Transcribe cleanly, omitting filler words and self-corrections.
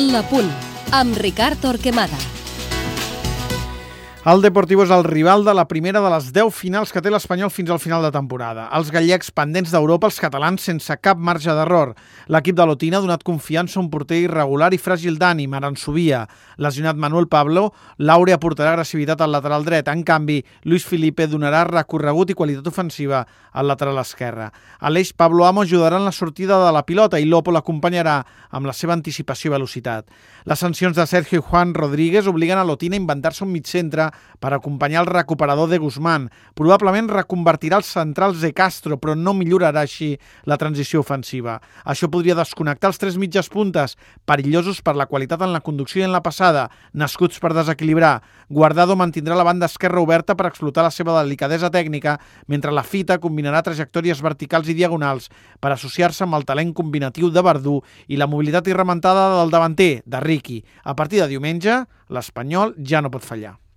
La Punt, amb Ricard Torquemada. El Deportivo és el rival de la primera de les 10 finals que té l'Espanyol fins al final de temporada. Els gallecs pendents d'Europa, els catalans sense cap marge d'error. L'equip de l'Otina ha donat confiança a un porter irregular i fràgil d'ànim, Aransubia. Lesionat Manuel Pablo, Laure aportarà agressivitat al lateral dret. En canvi, Luis Felipe donarà recorregut i qualitat ofensiva al lateral esquerre. A l'eix, Pablo Amo ajudarà en la sortida de la pilota i Lopo l'acompanyarà amb la seva anticipació i velocitat. Les sancions de Sergio Juan Rodríguez obliguen a l'Otina a inventar-se un mitcentre per acompanyar el recuperador de Guzmán. Probablement reconvertirà els centrals de Castro, però no millorarà així la transició ofensiva. Això podria desconnectar els 3 mitges puntes, perillosos per la qualitat en la conducció i en la passada, nascuts per desequilibrar. Guardado mantindrà la banda esquerra oberta per explotar la seva delicadesa tècnica, mentre la Fita combinarà trajectòries verticals i diagonals per associar-se amb el talent combinatiu de Verdú i la mobilitat irrementada del davanter, de Riqui. A partir de diumenge, l'Espanyol ja no pot fallar.